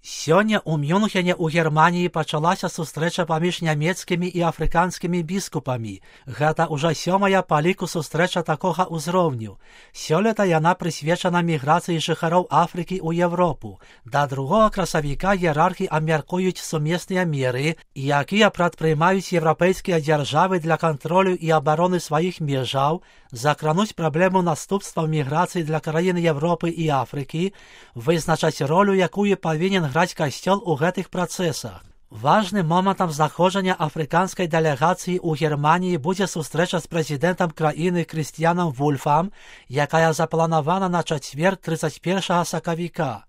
Сёння ў Мюнхене ў Германіі пачалася сустрэча паміж нямецкімі і афрыканскімі біскупамі. Гэта ўжо 7-я па ліку сустрэча такога ўзроўню. Сёлета яна прысвечана міграцыі жыхароў Афрыкі ў Европу. Да 2 красавіка іерархі абмяркуюць сумесныя меры, якія прадпрымаюць еўрапейскія дзяржавы для кантролю і абароны сваіх межаў, закрануць праблему наступстваў міграцыі для краін Европы і Афрыкі, вызначаць ролю, якую павінен граць касцёл у гэтых працэсах. Важным момантам знаходжання афрыканскай дэлегацыі ў Германіі будзе сустрэча з прэзідэнтам краіны Крыстіянам Вульфам, якая запланавана на чацвер 31 сакавіка.